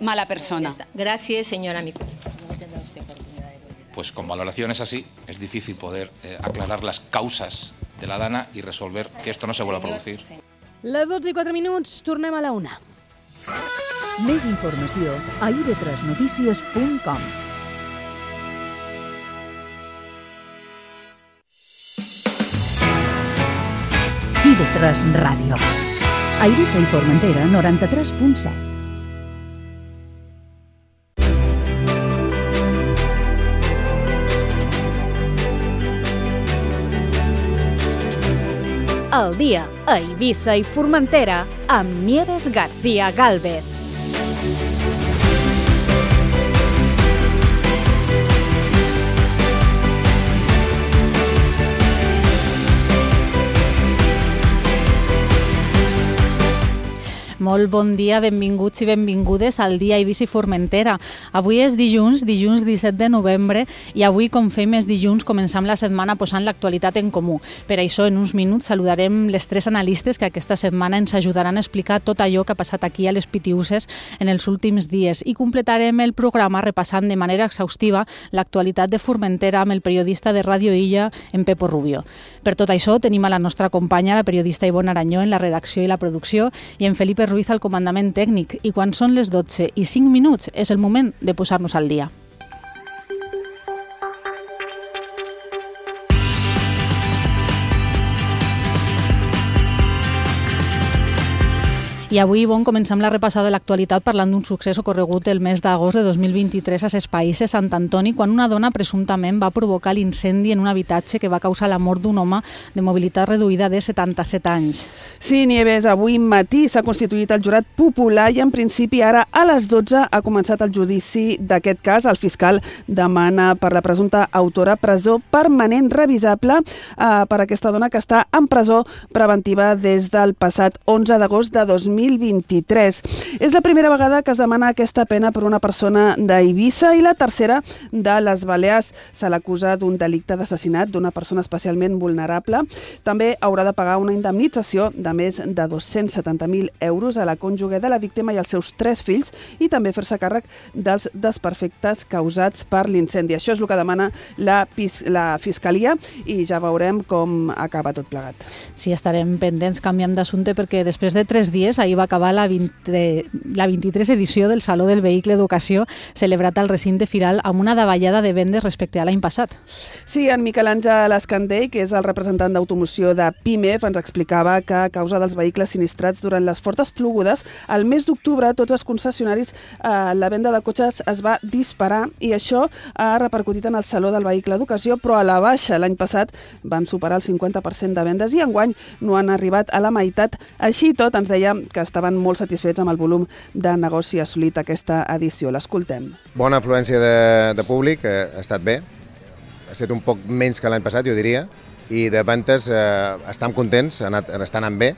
mala persona. Gracias, señora Mico. Pues con valoraciones así es difícil poder aclarar las causas de la dana y resolver que esto no se vuelva a producir. Les 12:04, tornem a la 1. Més informació a ib3notícies.com. IB3 Ràdio. A Eivissa i Formentera, 93.7. El dia a Eivissa i Formentera amb Nieves García Gálvez. Molt bon dia, benvinguts i benvingudes al dia Eivissa i Formentera. Avui és dilluns 17 de novembre, i avui, com fem els dilluns, començam la setmana posant l'actualitat en comú. Per això, en uns minuts, saludarem les tres analistes que aquesta setmana ens ajudaran a explicar tot allò que ha passat aquí a les Pitiüses en els últims dies, i completarem el programa repassant de manera exhaustiva l'actualitat de Formentera amb el periodista de Ràdio Illa, en Pepo Rubio. Per tot això, tenim a la nostra companya, la periodista Ivonne Aranyó, en la redacció i la producció, i en Felipe Ruiz al comandament tècnic, i quan són les 12:05 és el moment de posar-nos al dia. I avui, comencem la repassada de l'actualitat parlant d'un succés ocorregut el mes d'agost de 2023 a ses Païsses, Sant Antoni, quan una dona presumptament va provocar l'incendi en un habitatge que va causar la mort d'un home de mobilitat reduïda de 77 anys. Sí, Nieves, avui matí s'ha constituït el jurat popular i en principi ara a les 12 ha començat el judici d'aquest cas. El fiscal demana per la presumpta autora presó permanent revisable per aquesta dona que està en presó preventiva des del passat 11 d'agost de 2023. És la primera vegada que es demana aquesta pena per una persona d'Eivissa i la tercera de les Balears. Se l'acusa d'un delicte d'assassinat d'una persona especialment vulnerable. També haurà de pagar una indemnització de més de 270.000 euros a la cònjuge de la víctima i als seus 3 fills, i també fer-se càrrec dels desperfectes causats per l'incendi. Això és el que demana la Fiscalia, i ja veurem com acaba tot plegat. Sí, estarem pendents. Canviem d'assumpte perquè després de 3 dies, ahir va acabar la 23 edició del Saló del Vehicle d'Ocasió, celebrat al recinte firal amb una davallada de vendes respecte a l'any passat. Sí, en Miquel Àngel Escandell, que és el representant d'automoció de PIMEF, ens explicava que a causa dels vehicles sinistrats durant les fortes plogudes, al mes d'octubre tots els concessionaris, la venda de cotxes es va disparar, i això ha repercutit en el Saló del Vehicle d'Ocasió, però a la baixa. L'any passat van superar el 50% de vendes i enguany no han arribat a la meitat. Així tot, ens deia que estaven molt satisfets amb el volum de negoci assolit aquesta edició. L'escoltem. Bona afluència de públic, ha estat bé. Ha estat un poc menys que l'any passat, jo diria, i de ventes estem contents, estan anant bé,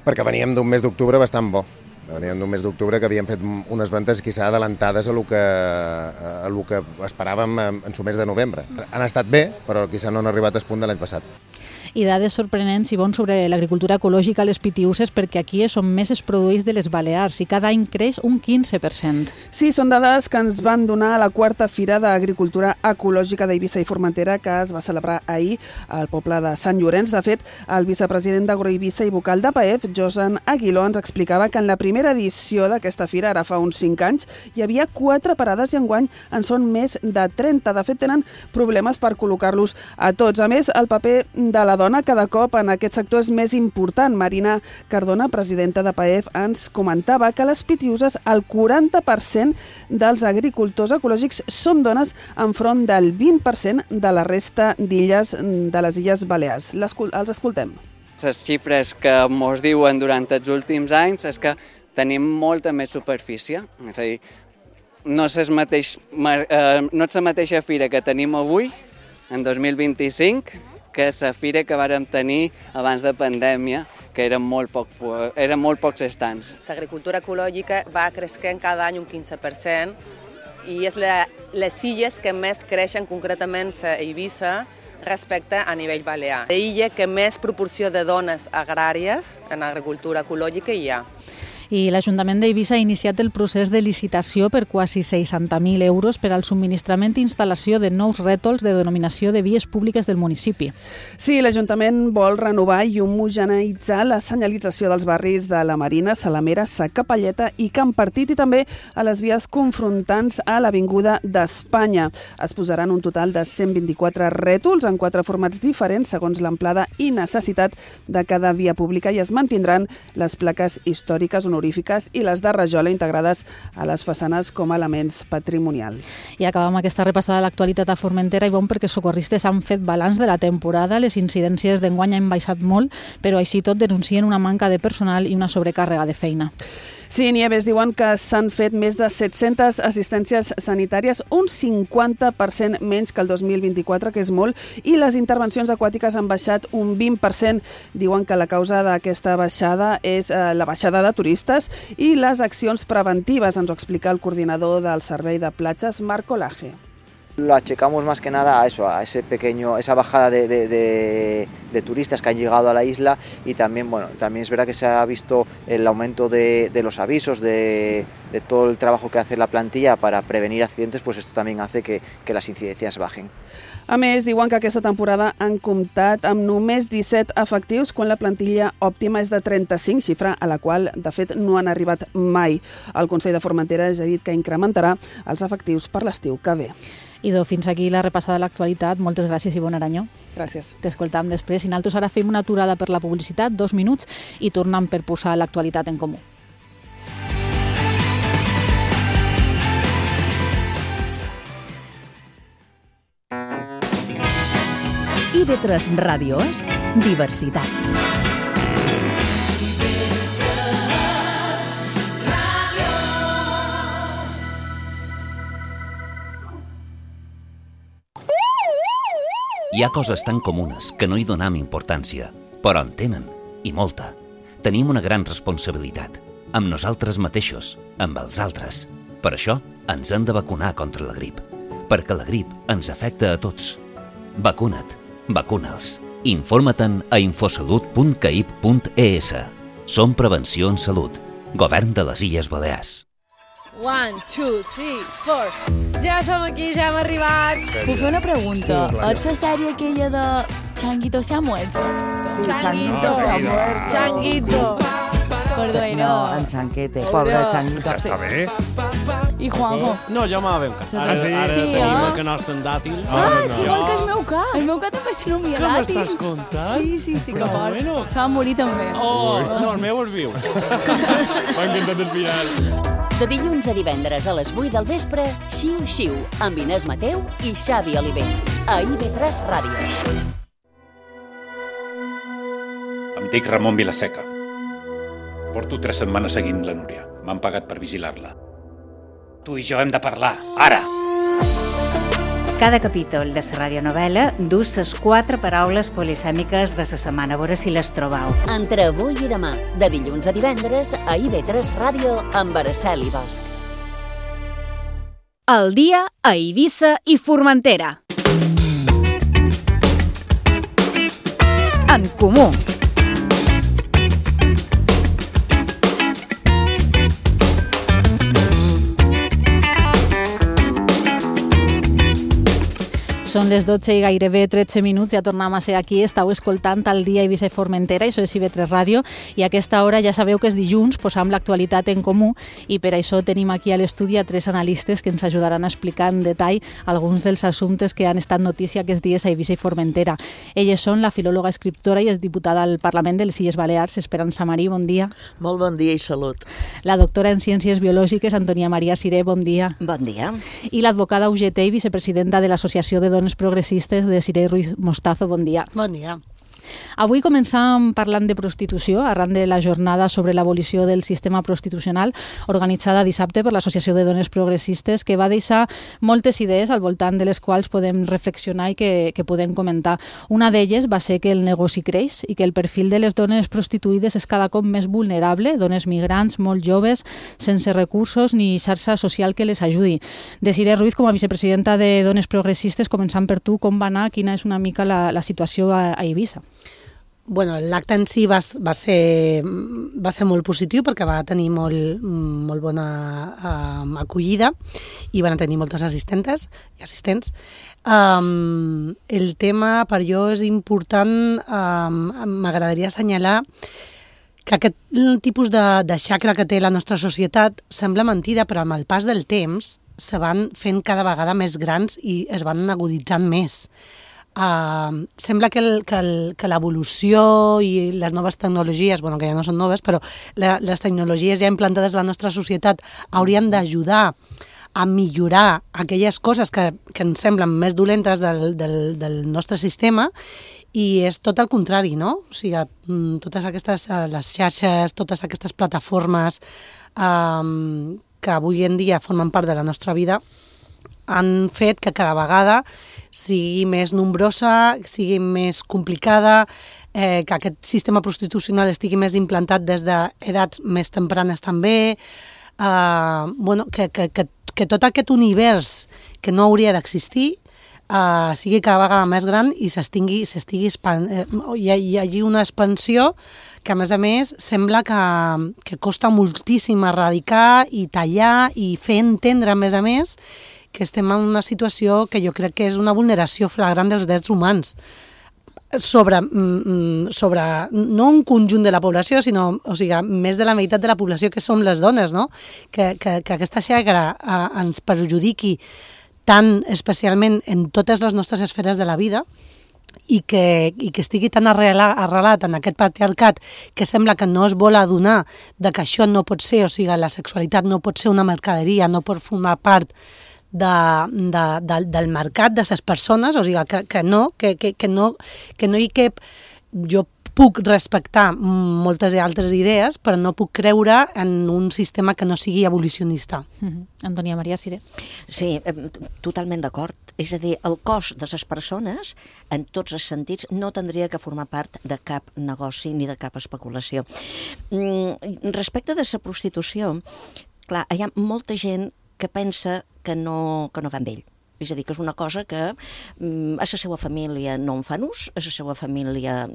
perquè veníem d'un mes d'octubre bastant bo. Veníem d'un mes d'octubre que havíem fet unes ventes quizà adelantades a lo que esperàvem en su mes de novembre. Han estat bé, però quizà no han arribat al punt de l'any passat. I dades sorprenents, Ivonne, sobre l'agricultura ecològica a les Pitiüses, perquè aquí és on més es produeix de les Balears i cada any creix un 15%. Sí, són dades que ens van donar a la 4a Fira d'Agricultura Ecològica d'Eivissa i Formentera, que es va celebrar ahir al poble de Sant Llorenç. De fet, el vicepresident d'Agroeivissa i vocal de PAEF, Josan Aguiló, ens explicava que en la primera edició d'aquesta fira, ara fa uns 5 anys, hi havia 4 parades i enguany en són més de 30. De fet, tenen problemes per col·locar-los a tots. A més, el paper de la dona cada cop en aquest sector és més important. Marina Cardona, presidenta de PAEF, ens comentava que a les Pitiüses el 40% dels agricultors ecològics són dones enfront del 20% de la resta d'illes de les Illes Balears. Els escoltem. Les xifres que ens diuen durant els últims anys és que tenim molta més superfície. És a dir, no és la mateixa fira que tenim avui, en 2025, que és la fira que vàrem tenir abans de pandèmia, que eren molt pocs estants. L'agricultura ecològica va creixent cada any un 15% i és les illes que més creixen, concretament a Eivissa, respecte a nivell balear. L'illa que més proporció de dones agràries en agricultura ecològica hi ha. I l'Ajuntament d'Eivissa ha iniciat el procés de licitació per quasi 60.000 euros per al subministrament i instal·lació de nous rètols de denominació de vies públiques del municipi. Sí, l'Ajuntament vol renovar i homogeneïtzar la senyalització dels barris de la Marina, Salamera, Sa Capelleta i Can Partit i també a les vies confrontants a l'Avinguda d'Espanya. Es posaran un total de 124 rètols en 4 formats diferents segons l'amplada i necessitat de cada via pública i es mantindran les plaques històriques, honorífiques i les de rajola integrades a les façanes com a elements patrimonials. I acabem aquesta repassada de l'actualitat a Formentera i bon perquè els socorristes han fet balanç de la temporada. Les incidències d'enguany han baixat molt, però així tot denuncien una manca de personal i una sobrecàrrega de feina. Sí, Nieves, diuen que s'han fet més de 700 assistències sanitàries, un 50% menys que el 2024, que és molt, i les intervencions aquàtiques han baixat un 20%. Diuen que la causa d'aquesta baixada és la baixada de turistes i les accions preventives, ens ho explica el coordinador del Servei de Platges, Marco Laje. Lo achacamos más que nada a eso, a esa bajada de turistas que han llegado a la isla y también, también es verdad que se ha visto el aumento de los avisos, de todo el trabajo que hace la plantilla para prevenir accidentes, pues esto también hace que las incidencias bajen. A més, diuen que aquesta temporada han comptat amb només 17 efectius quan la plantilla òptima és de 35, xifra a la qual, de fet, no han arribat mai. El Consell de Formentera ja ha dit que incrementarà els efectius per l'estiu que ve. Idò, fins aquí la repassada de l'actualitat. Moltes gràcies i bon aranyó. Gràcies. T'escoltam després. I nosaltres ara fem una aturada per la publicitat, 2 minuts, i tornem per posar l'actualitat en comú. IB3 Ràdio és diversitat. Hi ha coses tan comunes que no hi donem importància, però en tenen, i molta. Tenim una gran responsabilitat, amb nosaltres mateixos, amb els altres. Per això ens hem de vacunar contra la grip, perquè la grip ens afecta a tots. Vacuna't, vacuna'ls. Informa-te'n a infosalut.caip.es. Som Prevenció en Salut, Govern de les Illes Balears. 1, 2, 3, 4. Ja som aquí, ja hem arribat. Puc fer una pregunta? Sí, és la sèrie aquella de Changuito se ha muerto? Sí, Changuito se ha muerto. Changuito. Perdó, No, en Chanquete, pobre Changuito. Està bé. I Juanjo? No, ja m'ha ben cat. Ara tenim el que nostre en dàtil. Igual que el meu cat. El meu cat també se nomia Què dàtil. m'estàs contant? Sí, que Però fort. bueno. Se va morir també. No, el meu és viu. M'ha encantat el final. De dilluns a divendres a les 8 del vespre, Xiu Xiu, amb Inés Mateu i Xavi Olivell. A IB3 Ràdio. Em dic Ramon Vilaseca. Porto 3 setmanes seguint la Núria. M'han pagat per vigilar-la. Tu i jo hem de parlar, ara! Cada capítol de la radionovel·la dus les 4 paraules polisèmiques de la setmana. A veure si les trobeu. Entre avui i demà, de dilluns a divendres, a IB3 Ràdio, amb Araceli Bosch. El dia a Eivissa i Formentera. En comú. Són les 12 i gairebé 13 minuts, ja tornem a ser aquí, estàu escoltant el dia Eivissa i Formentera, això és IB3 Ràdio, i a aquesta hora ja sabeu que és dilluns, posam l'actualitat en comú, i per això tenim aquí a l'estudi a 3 analistes que ens ajudaran a explicar en detall alguns dels assumptes que han estat notícia aquests dies a Eivissa i Formentera. Elles són la filòloga, escriptora i exdiputada al Parlament de les Illes Balears, Esperança Marí, bon dia. Molt bon dia i salut. La doctora en Ciències Biològiques, Antonia Maria Siré, bon dia. Bon dia. I l'advocada UGT i vicepresidenta de l'Associació de Dones Progressistes de Siré Ruiz Mostazo, bon dia. Bon dia. Avui començam parlant de prostitució arran de la jornada sobre l'abolició del sistema prostitucional organitzada dissabte per l'Associació de Dones Progressistes, que va deixar moltes idees al voltant de les quals podem reflexionar i que podem comentar. Una d'elles va ser que el negoci creix i que el perfil de les dones prostituïdes és cada cop més vulnerable, dones migrants, molt joves, sense recursos ni xarxa social que les ajudi. De Siré Ruiz, com a vicepresidenta de Dones Progressistes, començant per tu, com va anar, quina és una mica la situació a Eivissa? l'acte en si va ser molt positiu perquè va tenir molt bona acollida i van tenir moltes assistentes i assistents. El tema per jo és important, m'agradaria assenyalar que aquest tipus de xacra que té la nostra societat sembla mentida, però amb el pas del temps se van fent cada vegada més grans i es van aguditzant més. Sembla que l'evolució i les noves tecnologies, que ja no són noves, però les tecnologies ja implantades a la nostra societat haurien d'ajudar a millorar aquelles coses que ens semblen més dolentes del nostre sistema, i és tot el contrari, no? O sigui, totes aquestes, les xarxes, totes aquestes plataformes que avui en dia formen part de la nostra vida han fet que cada vegada sigui més nombrosa, sigui més complicada, que aquest sistema prostitucional estigui més implantat des d'edats més tempranes també, que tot aquest univers que no hauria d'existir sigui cada vegada més gran i hi hagi una expansió que, a més, sembla que costa moltíssim erradicar i tallar i fer entendre, a més, que estem en una situació que jo crec que és una vulneració flagrant dels drets humans sobre no un conjunt de la població, sinó, més de la meitat de la població, que som les dones, no? Que aquesta xacra ens perjudiqui tan especialment en totes les nostres esferes de la vida i que estigui tan arrelat en aquest patriarcat que sembla que no es vol adonar de que això no pot ser, la sexualitat no pot ser una mercaderia, no pot formar part del mercat de les persones, que no hi cap. Jo puc respectar moltes altres idees, però no puc creure en un sistema que no sigui abolicionista. Antònia Maria Siré. Sí, totalment d'acord. És a dir, el cos de les persones, en tots els sentits, no tindria que formar part de cap negoci ni de cap especulació. Respecte de la prostitució, clar, hi ha molta gent que pensa que no va amb ell. És a dir, que és una cosa que a la seva família no en fan ús, a la seva família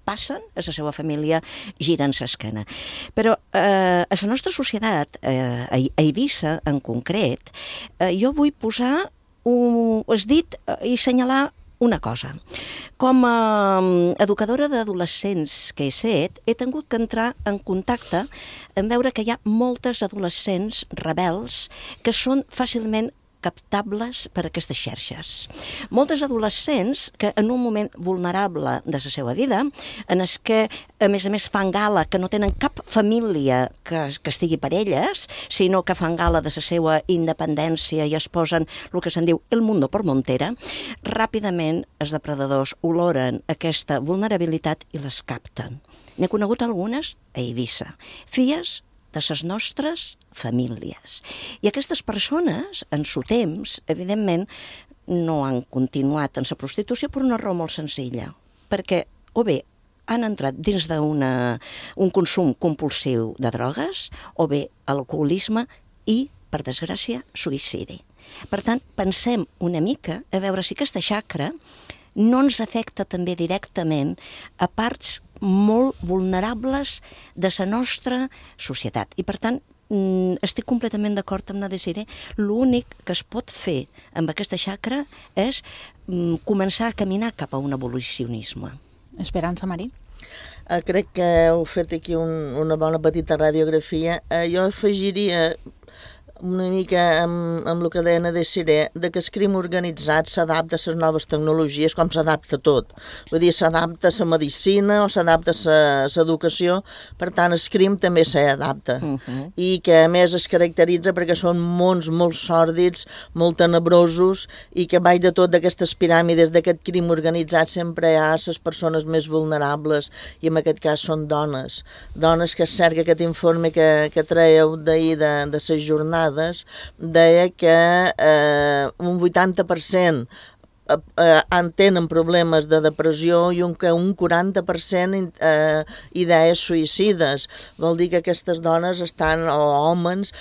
passen, a la seva família giren l'esquena. Però a la nostra societat, a Eivissa en concret, jo vull posar el dit i assenyalar una cosa. Com a educadora d'adolescents que he set, he tingut que entrar en contacte en veure que hi ha moltes adolescents rebels que són fàcilment captables per aquestes xarxes. Moltes adolescents que en un moment vulnerable de la seva vida, en els que a més fan gala que no tenen cap família que estigui per elles, sinó que fan gala de la seva independència i es posen el que se'n diu el mundo por montera, ràpidament els depredadors oloren aquesta vulnerabilitat i les capten. N'he conegut algunes a Eivissa, filles de les nostres famílies. I aquestes persones, en su temps, evidentment, no han continuat en la prostitució per una raó molt senzilla, perquè o bé han entrat dins d'un consum compulsiu de drogues, o bé alcoholisme i, per desgràcia, suïcidi. Per tant, pensem una mica a veure si aquesta xacra no ens afecta també directament a parts molt vulnerables de la nostra societat. I, per tant, estic completament d'acord amb la Desiré. L'únic que es pot fer amb aquesta xacra és començar a caminar cap a un abolicionisme. Esperança Marí. Crec que heu fet aquí una bona petita radiografia. Jo afegiria una mica amb el que deia Desiré, de que el crim organitzat s'adapta a les noves tecnologies com s'adapta tot. Vull dir, s'adapta a la medicina o s'adapta a l'educació, per tant, el crim també s'adapta. I que, a més, es caracteritza perquè són mons molt sòrdids, molt tenebrosos, i que baix de tot d'aquestes piràmides d'aquest crim organitzat sempre hi ha les persones més vulnerables, i en aquest cas són dones. Dones que és cert que aquest informe que traieu d'ahir de les jornades deia que un 80% tenen problemes de depressió i un 40% idees suïcides. Vol dir que aquestes dones o homes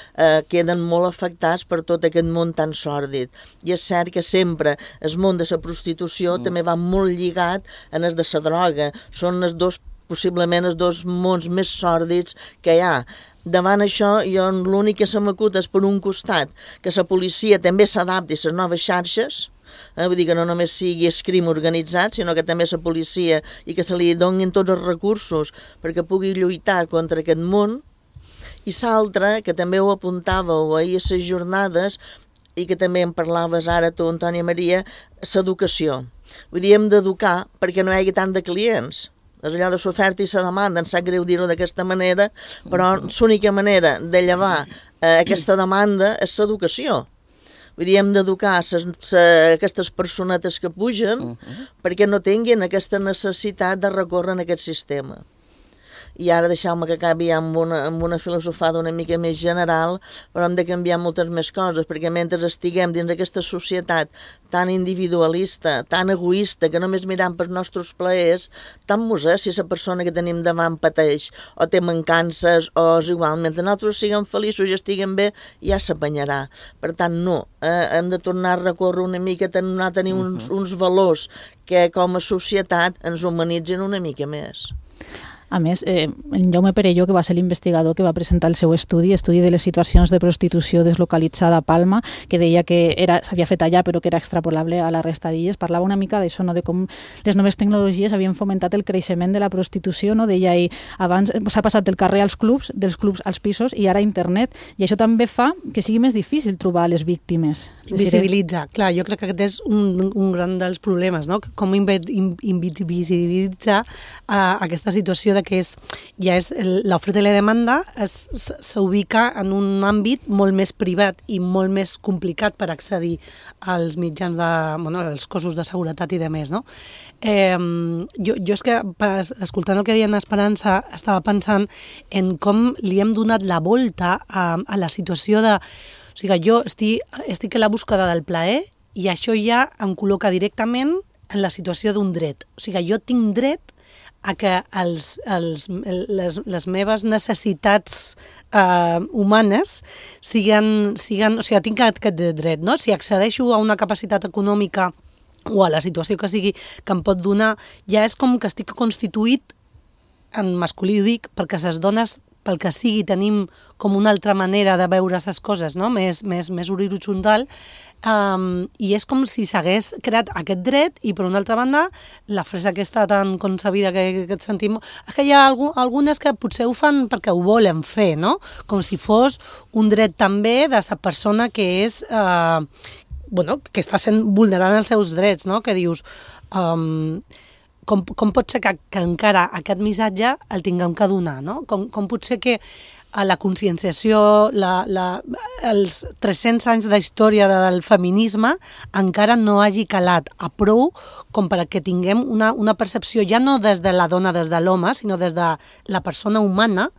queden molt afectats per tot aquest món tan sòrdid. I és cert que sempre el món de la prostitució també va molt lligat en el de la droga. Són possiblement els dos mons més sòrdids que hi ha. Davant això, l'únic que se m'acut és, per un costat, que la policia també s'adapti a les noves xarxes, vull dir que no només sigui el crim organitzat, sinó que també la policia i que se li donin tots els recursos perquè pugui lluitar contra aquest món. I l'altra, que també ho apuntàveu ahir a les jornades i que també en parlaves ara tu, Antònia Maria, l'educació. Vull dir, hem d'educar perquè no hi hagi tant de clients. És allò de l'oferta i la demanda, em sap greu dir-ho d'aquesta manera, però l'única manera de llevar aquesta demanda és l'educació. Vull dir, hem d'educar aquestes personetes que pugen perquè no tinguin aquesta necessitat de recórrer en aquest sistema. I ara deixeu-me que acabi amb una filosofada una mica més general, però hem de canviar moltes més coses, perquè mentre estiguem dins d'aquesta societat tan individualista, tan egoista, que només mirem pels nostres plaers, tant mos és si la persona que tenim davant pateix o té mancances o és igual. Mentre nosaltres siguem feliços i estiguem bé, ja s'apanyarà. Per tant, no, hem de tornar a recórrer una mica, a tenir uns valors que com a societat ens humanitzen una mica més. A més, en Jaume Perelló, que va ser l'investigador que va presentar el seu estudi de les situacions de prostitució deslocalitzada a Palma, que deia que s'havia fet allà però que era extrapolable a la resta d'illes, parlava una mica d'això, de com les noves tecnologies havien fomentat el creixement de la prostitució, deia ell, abans s'ha passat del carrer als clubs, dels clubs als pisos i ara a internet, i això també fa que sigui més difícil trobar les víctimes. Invisibilitza, clar, jo crec que aquest és un gran dels problemes, no? Com invisibilitza aquesta situació de que l'oferta i la demanda s'ubica en un àmbit molt més privat i molt més complicat per accedir als mitjans als cossos de seguretat i de més, no? Jo és que, escoltant el que deia en Esperança, estava pensant en com li hem donat la volta a la situació de... O sigui, jo estic a la búsqueda del plaer i això ja em col·loca directament en la situació d'un dret. O sigui, jo tinc dret a que les meves necessitats humanes siguin... O sigui, tinc aquest dret, no? Si accedeixo a una capacitat econòmica o a la situació que sigui que em pot donar, ja és com que estic constituït, en masculí ho dic, perquè les dones, pel que sigui, tenim com una altra manera de veure les coses, no? més horitzontal, i és com si s'hagués creat aquest dret i, per una altra banda, la frase aquesta tan concebida que et sentim... És que hi ha algunes que potser ho fan perquè ho volen fer, no? Com si fos un dret també de la persona que és... que està sent vulnerant els seus drets, no? Que dius... Com pot ser que encara aquest missatge el tinguem que donar, no? Com pot ser que la conscienciació, els 300 anys d'història del feminisme encara no hagi calat a prou com perquè tinguem una percepció ja no des de la dona, des de l'home, sinó des de la persona humana,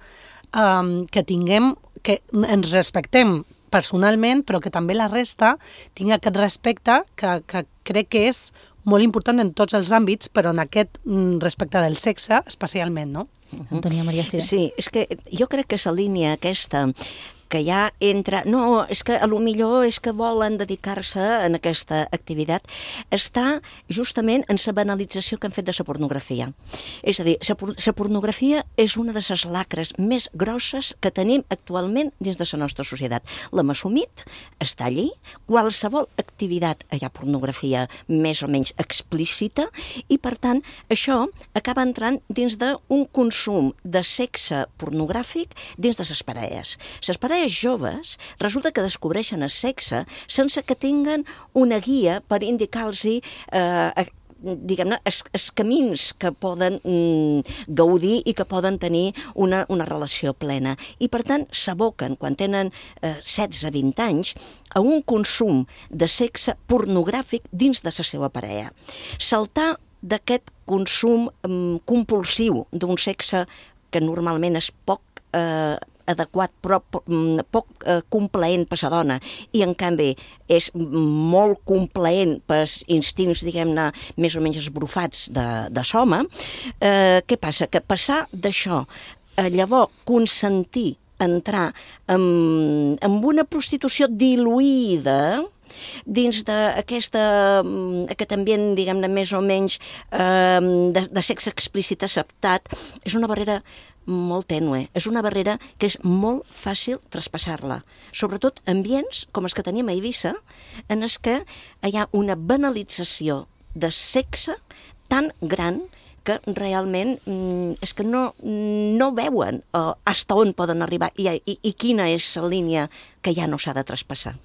que ens respectem personalment, però que també la resta tingui aquest respecte que crec que és molt important en tots els àmbits, però en aquest respecte del sexe especialment, no? Antònia Maria Siré. Sí, és que jo crec que la línia aquesta que ja entra... No, és que potser és que volen dedicar-se en aquesta activitat, està justament en la banalització que han fet de la pornografia. És a dir, la pornografia és una de les lacres més grosses que tenim actualment dins de la nostra societat. L'hem assumit, està allí, qualsevol activitat hi ha pornografia més o menys explícita i, per tant, això acaba entrant dins d'un consum de sexe pornogràfic dins de les parelles. Les parelles joves resulta que descobreixen el sexe sense que tinguen una guia per indicar-los diguem-ne, els camins que poden gaudir i que poden tenir una relació plena. I, per tant, s'aboquen, quan tenen 16-20 anys, a un consum de sexe pornogràfic dins de la seva parella. Saltar d'aquest consum compulsiu d'un sexe que normalment és poc adequat però poc complaent per la dona i en canvi és molt complaent per instints, diguem-ne, més o menys esbrufats de l'home, què passa? Que passar d'això a llavors consentir entrar en una prostitució diluïda dins d'aquesta, aquest ambient, diguem-ne, més o menys de sexe explícit acceptat, és una barrera molt tènue, és una barrera que és molt fàcil traspassar-la, sobretot ambients com els que tenim a Eivissa, en els que hi ha una banalització de sexe tan gran que realment és que no veuen fins on poden arribar i quina és la línia que ja no s'ha de traspassar.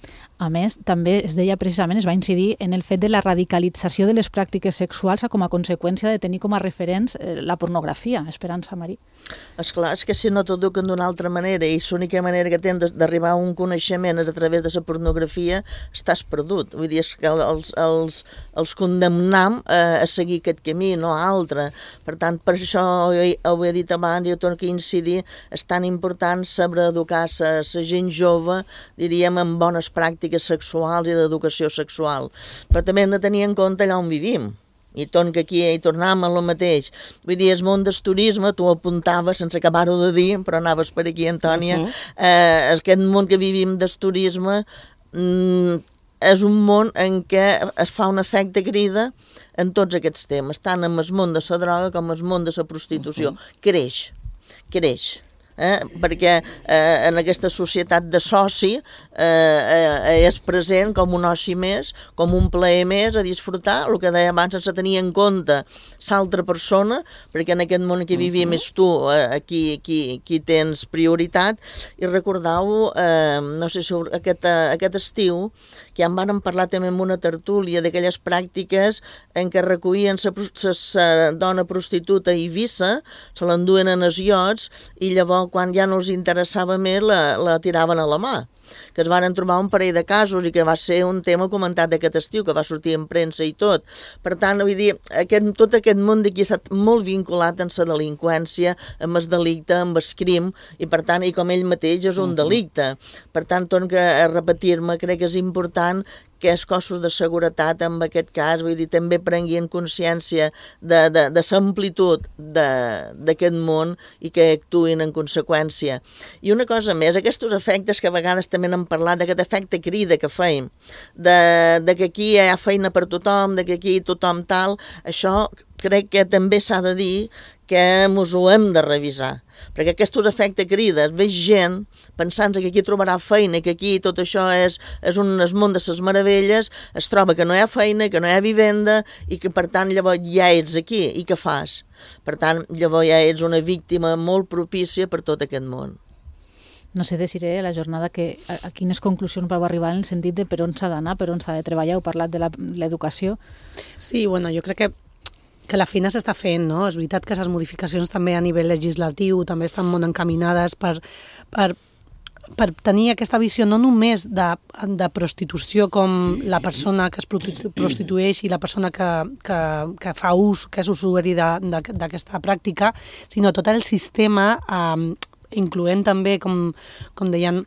A més, també es deia precisament, es va incidir en el fet de la radicalització de les pràctiques sexuals com a conseqüència de tenir com a referents la pornografia. Esperança, Marí. Esclar, és que si no t'eduquen d'una altra manera i l'única manera que tens d'arribar a un coneixement és a través de la pornografia, estàs perdut. Vull dir, és que els condemnam a seguir aquest camí, no a altre. Per tant, per això ho he dit abans, jo torno a incidir, és tan important saber educar la gent jove, diríem, en bones pràctiques sexuals i d'educació sexual. Però també hem de tenir en compte allà on vivim. I torno que aquí hi tornem a lo mateix. Vull dir, el món del turisme, tu ho apuntaves sense acabar-ho de dir, però anaves per aquí, Antònia, aquest món que vivim del turisme és un món en què es fa un efecte crida en tots aquests temes, tant en el món de la droga com en el món de la prostitució. Creix. Perquè en aquesta societat de soci és present com un oci més, com un plaer més a disfrutar, el que deia abans sense tenir en compte l'altra persona, perquè en aquest món que vivim és tu qui tens prioritat. I recordeu, no sé si aquest estiu, que ja en van parlar també en una tertúlia d'aquelles pràctiques en què recollien la dona prostituta a Eivissa, se l'enduen en els iots i llavors quan ja no els interessava més la tiraven a la mà, que es van trobar un parell de casos i que va ser un tema comentat d'aquest estiu, que va sortir en premsa i tot. Per tant, vull dir, tot aquest món d'aquí ha estat molt vinculat amb la delinqüència, amb el delicte, amb el crim, i per tant, i com ell mateix és un delicte. Per tant, torno a repetir-me, crec que és important que els cossos de seguretat, en aquest cas, vull dir, també prenguin consciència de l'amplitud d'aquest món i que actuïn en conseqüència. I una cosa més, aquests efectes que a vegades també n'hem parlat, d'aquest efecte crida que feim, de que aquí hi ha feina per tothom, de que aquí tothom tal, això crec que també s'ha de dir que ens ho hem de revisar, perquè aquests efectes crides, veig gent pensant que aquí trobarà feina i que aquí tot això és un món de les meravelles, es troba que no hi ha feina, que no hi ha vivenda i que per tant llavors ja ets aquí i què fas? Per tant llavors ja ets una víctima molt propícia per tot aquest món. No sé, Desiré, a la jornada a quines conclusions vau arribar en el sentit de per on s'ha d'anar, per on s'ha de treballar, heu parlat de l'educació. Sí, bueno, jo crec que la feina s'està fent, no? És veritat que les modificacions també a nivell legislatiu també estan molt encaminades per tenir aquesta visió no només de prostitució com la persona que es prostitueix i la persona que fa ús, que és usuari d'aquesta pràctica, sinó tot el sistema, incloent també, com deien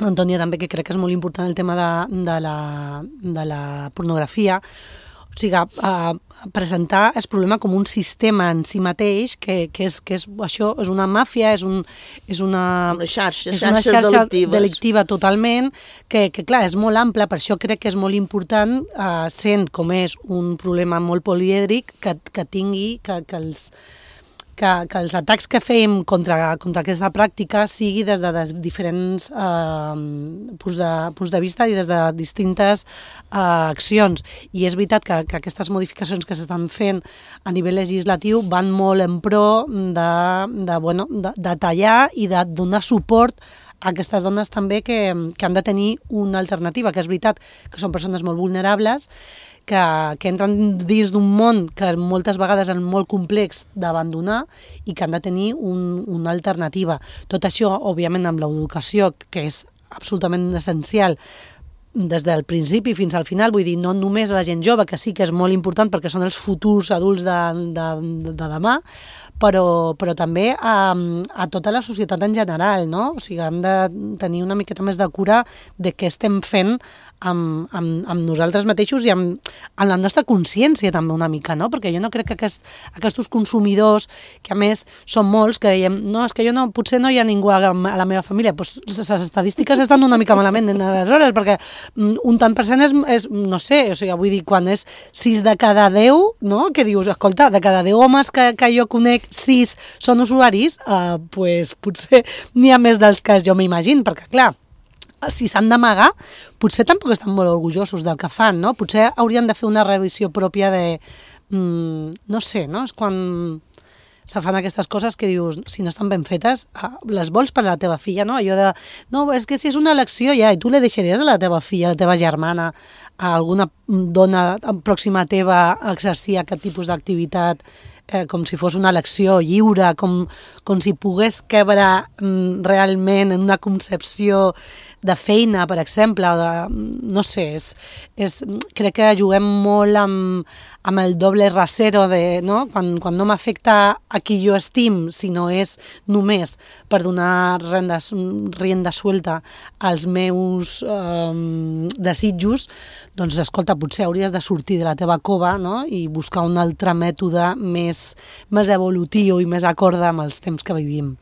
Antònia també, que crec que és molt important el tema de la pornografia, o sigui, presentar el problema com un sistema en si mateix, que és això, és una màfia, és una xarxa delictiva totalment, que clar, és molt ampla, per això crec que és molt important, sent com és un problema molt polièdric, que tingui, que els atacs que fem contra aquesta pràctica sigui des de diferents punts de vista i des de distintes accions. I és veritat que aquestes modificacions que s'estan fent a nivell legislatiu van molt en pro de tallar i de donar suport a aquestes dones també que han de tenir una alternativa, que és veritat que són persones molt vulnerables, que entren dins d'un món que moltes vegades és molt complex d'abandonar i que han de tenir una alternativa. Tot això, òbviament, amb l'educació, que és absolutament essencial des del principi fins al final, vull dir, no només a la gent jove, que sí que és molt important perquè són els futurs adults de demà, però també a tota la societat en general, no? O sigui, hem de tenir una miqueta més de cura de què estem fent amb nosaltres mateixos i amb la nostra consciència també una mica, no? Perquè jo no crec que aquests consumidors, que a més són molts, que dèiem, no, és que potser no hi ha ningú a la meva família, doncs les estadístiques estan una mica malament aleshores, perquè un tant per cent és, no sé, o sigui, vull dir, quan és 6 de cada 10, no? Que dius, escolta, de cada 10 homes que jo conec, 6 són usuaris, pues potser n'hi ha més dels que jo m'imagino, perquè clar, si s'han d'amagar, potser tampoc estan molt orgullosos del que fan, no? Potser haurien de fer una revisió pròpia de, no sé, no? És quan se fan aquestes coses que dius, si no estan ben fetes, les vols per a la teva filla, no? Allò de, no, és que si és una elecció ja, i tu le deixaries a la teva filla, a la teva germana, a alguna dona pròxima teva a exercir aquest tipus d'activitat com si fos una elecció lliure, com si pogués quebre realment en una concepció de feina, per exemple, o de, no sé, crec que juguem molt amb el doble rasero de, no? Quan no m'afecta a qui jo estim, sinó és només per donar rienda suelta als meus desitjos, doncs escolta, potser hauries de sortir de la teva cova, no? I buscar un altre mètode més evolutiu i més acorde amb els temps que vivim.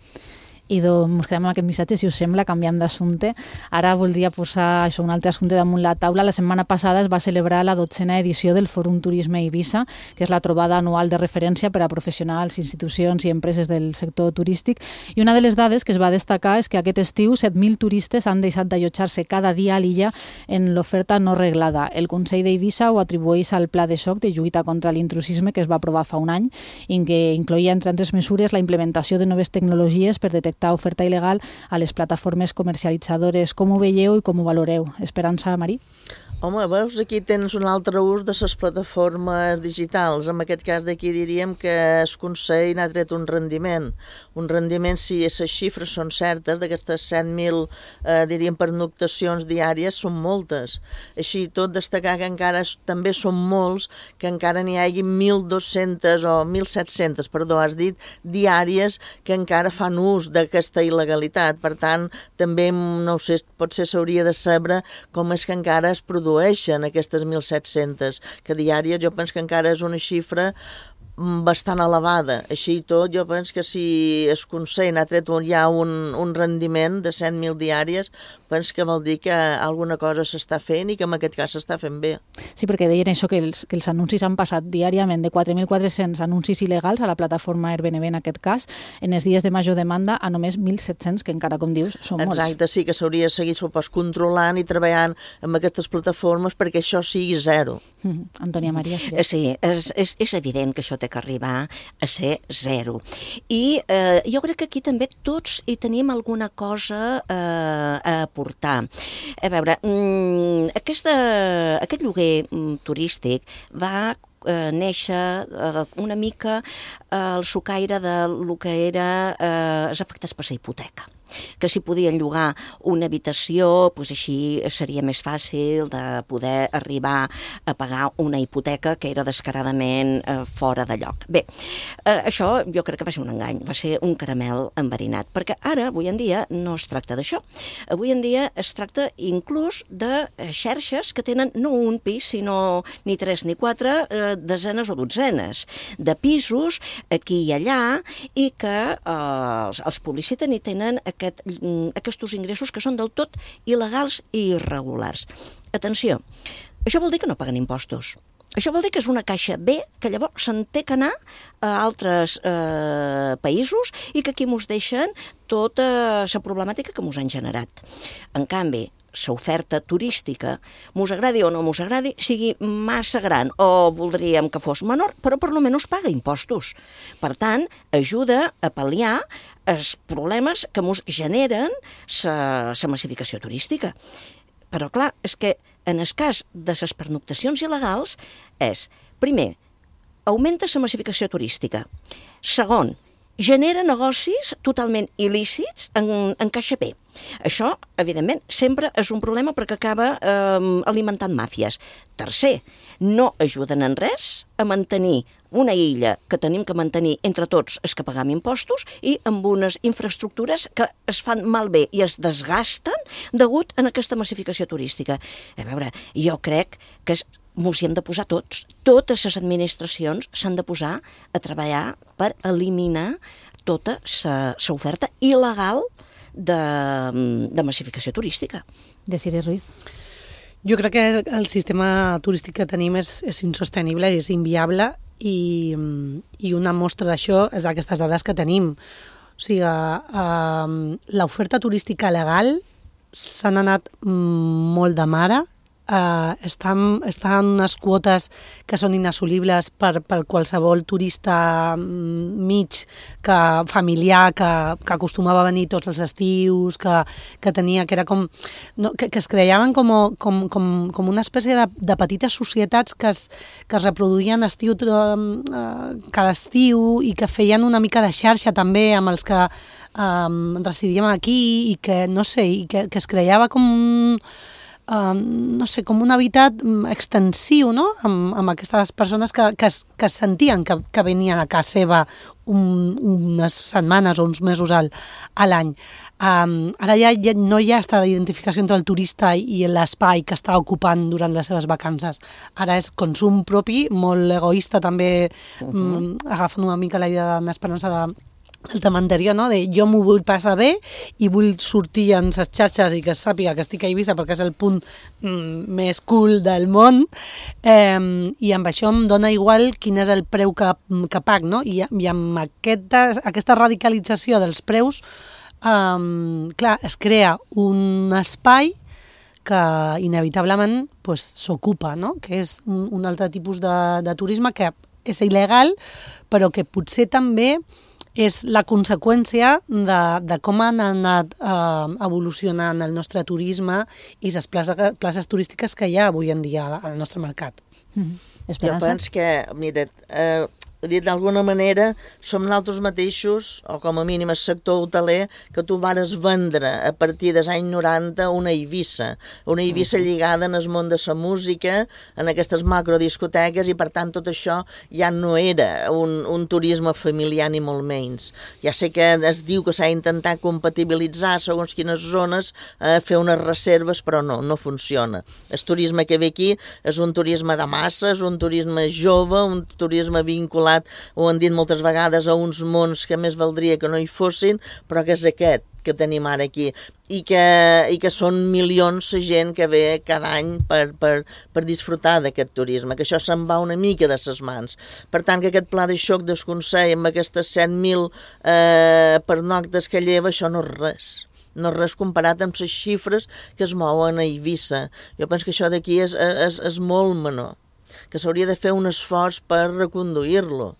I ens quedem amb aquest missatge, si us sembla, canviem d'assumpte. Ara voldria posar un altre assumpte damunt la taula. La setmana passada es va celebrar la 12a edició del Fòrum Turisme Eivissa, que és la trobada anual de referència per a professionals, institucions i empreses del sector turístic. I una de les dades que es va destacar és que aquest estiu 7.000 turistes han deixat d'allotjar-se cada dia a l'illa en l'oferta no reglada. El Consell d'Eivissa ho atribueix al Pla de Xoc de lluita contra l'intrusisme que es va aprovar fa un any i que incloïa, entre altres mesures, la implementació de noves tecnologies per detectar oferta il·legal a les plataformes comercialitzadores. Com ho veieu i com ho valoreu? Esperança, Marí? Home, veus, aquí tens un altre ús de les plataformes digitals. En aquest cas d'aquí diríem que el Consell n'ha tret un rendiment. Un rendiment, si les xifres són certes, d'aquestes 7.000, diríem, pernoctacions diàries, són moltes. Així tot, destacar que encara també són molts, que encara n'hi hagi 1.200 o 1.700, perdó, has dit, diàries que encara fan ús d'aquesta il·legalitat. Per tant, també, no ho sé, potser s'hauria de saber com és que encara es produeixen aquestes 1.700, que diàries jo penso que encara és una xifra bastant elevada. Així i tot, jo penso que si el Consell n'ha tret ja un rendiment de 100.000 diàries, penso que vol dir que alguna cosa s'està fent i que en aquest cas s'està fent bé. Sí, perquè deien això, que els anuncis han passat diàriament de 4.400 anuncis il·legals a la plataforma Airbnb en aquest cas, en els dies de major demanda a només 1.700, que encara, com dius, són molts. Exacte, sí, que s'hauria de seguir, supos, controlant i treballant amb aquestes plataformes perquè això sigui zero. Antònia Maria. Sí, és evident que això té que arribar a ser zero. I jo crec que aquí també tots hi tenim alguna cosa a aportar. A veure, aquest lloguer turístic va néixer una mica al socaire del que era els efectes per la hipoteca, que si podien llogar una habitació, doncs així seria més fàcil de poder arribar a pagar una hipoteca que era descaradament fora de lloc. Bé, això jo crec que va ser un engany, va ser un caramel enverinat, perquè ara, avui en dia, no es tracta d'això. Avui en dia es tracta inclús de xarxes que tenen no un pis, sinó ni 3 ni 4, desenes o dotzenes de pisos aquí i allà, i que els publiciten i tenen aquests ingressos que són del tot il·legals i irregulars. Atenció, això vol dir que no paguen impostos. Això vol dir que és una caixa B que llavors se'n té que anar a altres països i que aquí mos deixen tota la problemàtica que mos han generat. En canvi, l'oferta turística, mos agradi o no mos agradi, sigui massa gran o voldríem que fos menor, però per almenys paga impostos. Per tant, ajuda a pal·liar els problemes que mos generen la massificació turística. Però clar, és que en el cas de les pernoctacions il·legals és, primer, augmenta la massificació turística. Segon, genera negocis totalment il·lícits en caixa B. Això, evidentment, sempre és un problema perquè acaba alimentant màfies. Tercer, no ajuden en res a mantenir una illa que tenim que mantenir entre tots és que pagam impostos i amb unes infraestructures que es fan malbé i es desgasten degut a aquesta massificació turística. A veure, jo crec que mos hi hem de posar tots. Totes les administracions s'han de posar a treballar per eliminar tota l'oferta il·legal de massificació turística. Desiree Ruiz. Jo crec que el sistema turístic que tenim és insostenible, és inviable i una mostra d'això és aquestes dades que tenim. O sigui, l'oferta turística legal s'han anat molt de mare, estan unes quotes que són inassolibles per qualsevol turista mig, familiar, que acostumava a venir tots els estius, que tenia, que era com... que es creaven com una espècie de petites societats que es reproduïen cada estiu i que feien una mica de xarxa també amb els que residíem aquí i que, no sé, i que es creava com com un habitat extensiu, no?, amb aquestes persones que es sentien que venien a casa seva unes setmanes o uns mesos a l'any. Ara ja no hi ha aquesta identificació entre el turista i l'espai que està ocupant durant les seves vacances. Ara és consum propi, molt egoista també, agafant una mica la idea d'Esperança el tema anterior, no? De jo m'ho vull passar bé i vull sortir en les xarxes i que es sàpiga que estic a Eivissa perquè és el punt més cool del món, i amb això em dona igual quin és el preu que pag, no? I amb aquesta radicalització dels preus, clar, es crea un espai que inevitablement s'ocupa, no? Que és un altre tipus de turisme que és il·legal, però que potser també és la conseqüència de com han anat evolucionant el nostre turisme i les places turístiques que hi ha avui en dia al nostre mercat. Jo penso que, mira, dit d'alguna manera, som nosaltres mateixos, o com a mínim el sector hoteler, que tu vares vendre a partir dels anys 90 una Eivissa lligada en el món de la música, en aquestes macrodiscoteques, i per tant tot això ja no era un turisme familiar ni molt menys. Ja sé que es diu que s'ha intentat compatibilitzar segons quines zones, fer unes reserves, però no funciona. El turisme que ve aquí és un turisme de masses, un turisme jove, un turisme vinculat, ho han dit moltes vegades, a uns mons que més valdria que no hi fossin, però que és aquest que tenim ara aquí, i que són milions de gent que ve cada any per disfrutar d'aquest turisme, que això se'n va una mica de ses mans. Per tant, que aquest pla de xoc del Consell amb aquestes 7.000 pernoctes que lleva, això no és res. No és res comparat amb les xifres que es mouen a Eivissa. Jo penso que això d'aquí és molt menor, que s'hauria de fer un esforç per reconduir-lo.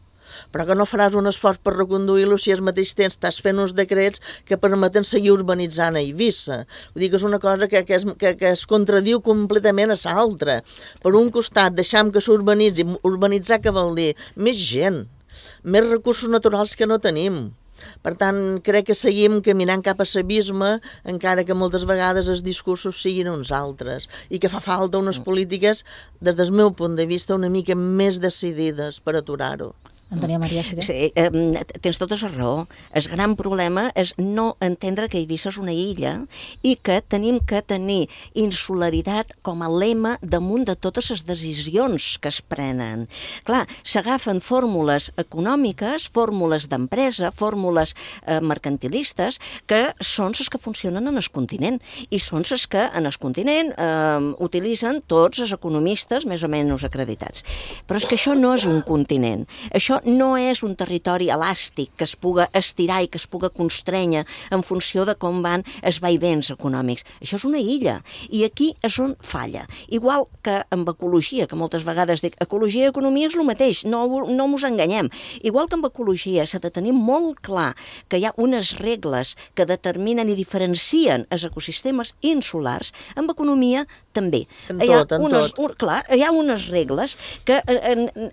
Però que no faràs un esforç per reconduir-lo si al mateix temps estàs fent uns decrets que permeten seguir urbanitzant a Eivissa. Vull dir que és una cosa que es contradiu completament a l'altra. Per un costat, deixam que s'urbanitzi. Urbanitzar què vol dir? Més gent, més recursos naturals que no tenim. Per tant, crec que seguim caminant cap a l'abisme, encara que moltes vegades els discursos siguin uns altres, i que fa falta unes polítiques, des del meu punt de vista, una mica més decidides per aturar-ho. Antònia Maria Siré. Sí, tens tota la raó. El gran problema és no entendre que Eivissa és una illa i que tenim que tenir insularitat com a lema damunt de totes les decisions que es prenen. Clar, s'agafen fórmules econòmiques, fórmules d'empresa, fórmules mercantilistes, que són les que funcionen en el continent, i són les que en el continent utilitzen tots els economistes més o menys acreditats. Però és que això no és un continent. Això no és un territori elàstic que es puga estirar i que es puga constrènyer en funció de com van els vaivents econòmics. Això és una illa, i aquí és on falla. Igual que amb ecologia, que moltes vegades dic, ecologia i economia és el mateix, no mos enganyem. Igual que amb ecologia s'ha de tenir molt clar que hi ha unes regles que determinen i diferencien els ecosistemes insulars, amb economia també. Hi ha unes regles que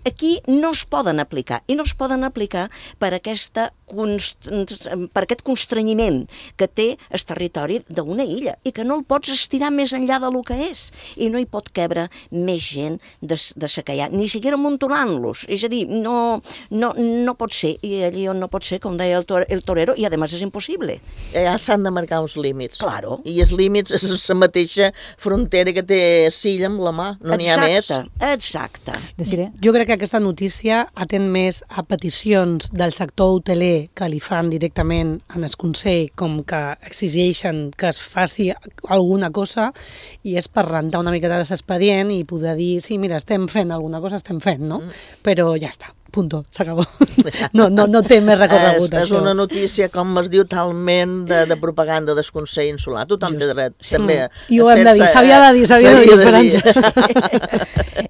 aquí no es poden aplicar. aplicar. I no es poden aplicar per aquest constrenyiment que té el territori d'una illa i que no el pots estirar més enllà del que és. I no hi pot cabre més gent de la que hi ha, ni siquiera amuntolant-los. És a dir, no pot ser. I allí on no pot ser, com deia el torero, i a més és impossible. Ja s'han de marcar uns límits. Claro. I els límits és la mateixa frontera que té Silla amb la mà, no n'hi ha més. Exacte. Jo crec que aquesta notícia atén més a peticions del sector hoteler que li fan directament en el Consell, com que exigeixen que es faci alguna cosa, i és per rentar una miqueta l'expedient i poder dir, sí, mira, estem fent alguna cosa, estem fent, no? Però ja està. Punto, s'acabó. No té més recorregut, això. És una notícia, com es diu, talment de propaganda del Consell Insular. Tothom té dret, també. I ho hem de dir, s'havia de dir, Esperança.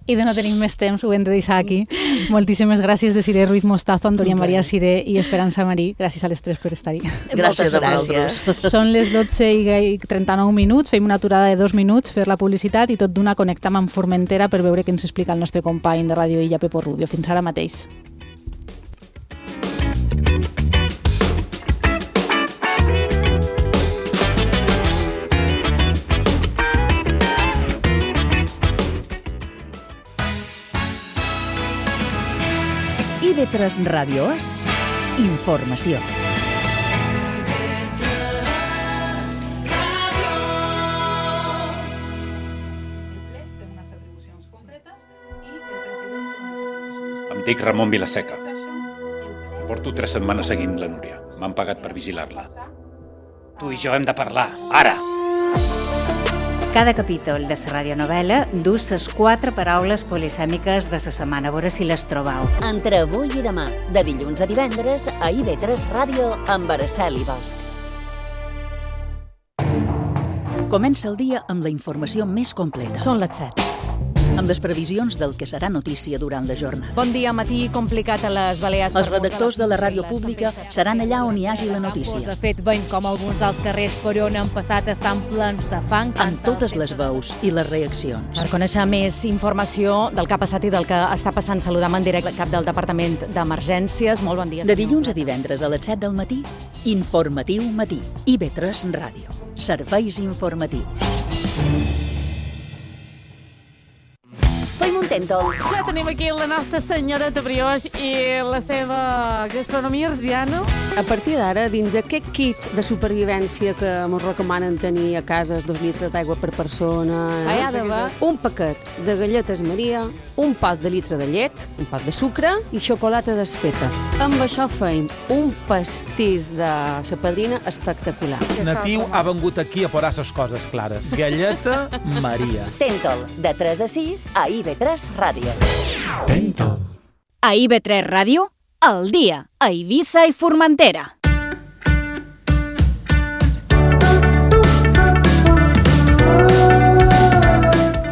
I de no tenim més temps, ho hem de deixar aquí. Moltíssimes gràcies de Siré Ruiz Mostazo, Antònia Maria Siré i Esperança Marí. Gràcies a les tres per estar-hi. Gràcies a vosaltres. Són les 12:39 minuts, fem una aturada de 2 minuts per la publicitat i tot d'una connectam amb Formentera per veure què ens explica el nostre company de Ràdio Illa, Pepo Rubio. Fins ara mateix. IB3 Ràdios, informació. Em dic Ramon Vilaseca. Porto 3 setmanes seguint la Núria. M'han pagat per vigilar-la. Tu i jo hem de parlar, ara! Cada capítol de la radionovel·la dus les 4 paraules polisèmiques de la setmana, a veure si les trobau. Entre avui i demà, de dilluns a divendres, a IB3 Ràdio, amb Araceli Bosch. Comença el dia amb la informació més completa. Són les 7. Amb les previsions del que serà notícia durant la jornada. Bon dia, matí complicat a les Balears. Els redactors de la ràdio pública seran allà on hi hagi la notícia. De fet, veiem com alguns dels carrers per on han passat estan plens de fang. Amb totes les veus i les reaccions. Per conèixer més informació del que ha passat i del que està passant, saludam en directe el cap del Departament d'Emergències. Molt bon dia. De dilluns a divendres a les 7 del matí, Informatiu Matí. IB3 Ràdio. Serveis informatius. Tèntol. Ja tenim aquí la nostra senyoreta Brioix i la seva gastronomia arsiana. A partir d'ara, dins aquest kit de supervivència que ens recomanen tenir a casa 2 litres d'aigua per persona, hi ha d'haver un paquet de galletes Maria, un pot de litre de llet, un pot de sucre i xocolata desfeta. Amb això feim un pastís de la padrina espectacular. Natiu ha vengut aquí a posar les coses clares. Galleta Maria. Tèntol, de 3 a 6 a IB3 Ràdio. Tèntol. A IB3 Ràdio, al dia, a Eivissa i Formentera.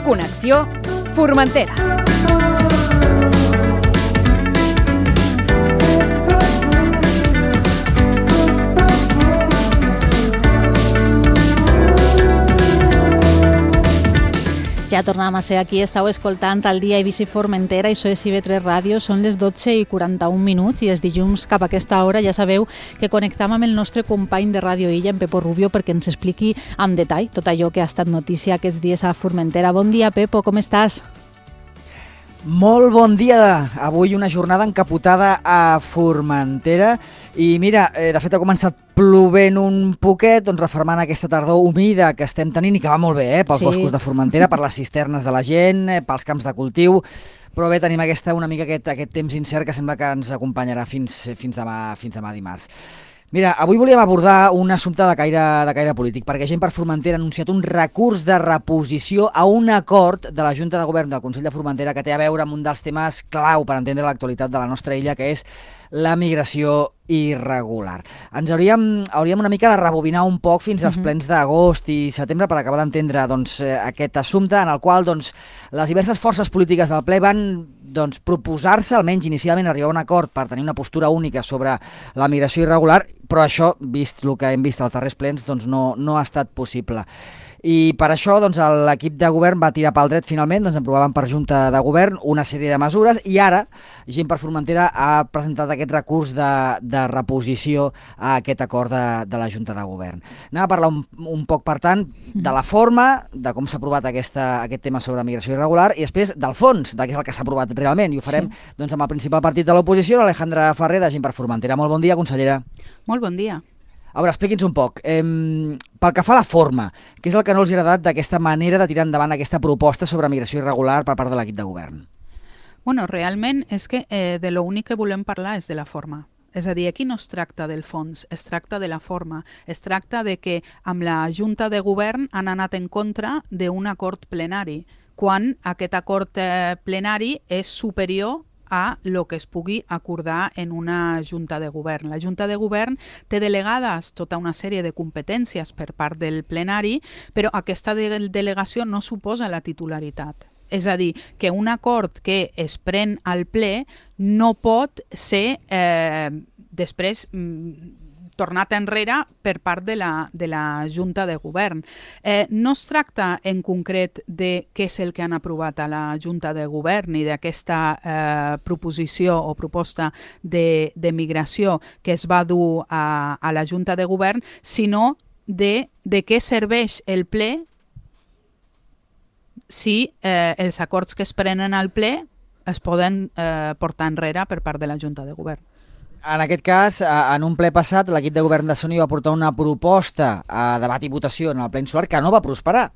Connexió Formentera. Ja tornem a ser aquí, estàu escoltant el dia Eivissa i Formentera, això és IB3 Ràdio, són les 12:41 minuts i els dilluns cap a aquesta hora ja sabeu que connectam amb el nostre company de Ràdio Illa, en Pepo Rubio, perquè ens expliqui amb detall tot allò que ha estat notícia aquests dies a Formentera. Bon dia, Pepo, com estàs? Molt bon dia! Avui una jornada encapotada a Formentera i mira, de fet ha començat plovent un poquet, doncs refermant aquesta tardor humida que estem tenint i que va molt bé, pels boscos de Formentera, per les cisternes de la gent, pels camps de cultiu, però bé, tenim una mica aquest temps incert que sembla que ens acompanyarà fins demà dimarts. Mira, avui volíem abordar un assumpte de caire polític, perquè Gent per Formentera ha anunciat un recurs de reposició a un acord de la Junta de Govern del Consell de Formentera que té a veure amb un dels temes clau per entendre l'actualitat de la nostra illa, que és la migració irregular. Ens hauríem una mica de rebobinar un poc fins als plens d'agost i setembre per acabar d'entendre aquest assumpte en el qual les diverses forces polítiques del ple van proposar-se, almenys inicialment, arribar a un acord per tenir una postura única sobre la migració irregular, però això, vist el que hem vist als darrers plens, no ha estat possible. I per això l'equip de govern va tirar pel dret finalment, aprovaven per Junta de Govern una sèrie de mesures i ara Gent per Formentera ha presentat aquest recurs de reposició a aquest acord de la Junta de Govern. Anem a parlar un poc, per tant, de la forma, de com s'ha aprovat aquest tema sobre migració irregular i després del fons, de què és el que s'ha aprovat realment. I ho farem amb el principal partit de l'oposició, l'Alejandra Ferrer, de Gent per Formentera. Molt bon dia, consellera. Molt bon dia. A veure, expliqui'ns un poc. Pel que fa a la forma, què és el que no els ha agradat d'aquesta manera de tirar endavant aquesta proposta sobre migració irregular per part de l'equip de govern? Bueno, realment és que de l'únic que volem parlar és de la forma. És a dir, aquí no es tracta del fons, es tracta de la forma. Es tracta de que amb la Junta de Govern han anat en contra d'un acord plenari, quan aquest acord plenari és superior a lo que es pugui acordar en una Junta de Govern. La Junta de Govern té delegades tota una sèrie de competències per part del plenari, però aquesta delegació no suposa la titularitat. És a dir, que un acord que es pren al ple no pot ser després tornat enrere per part de la Junta de Govern. No es tracta en concret de què és el que han aprovat a la Junta de Govern i d'aquesta proposició o proposta de migració que es va dur a la Junta de Govern, sinó de què serveix el ple si els acords que es prenen al ple es poden portar enrere per part de la Junta de Govern. En aquest cas, en un ple passat, l'equip de govern de Sony va portar una proposta a debat i votació en el ple insular que no va prosperar.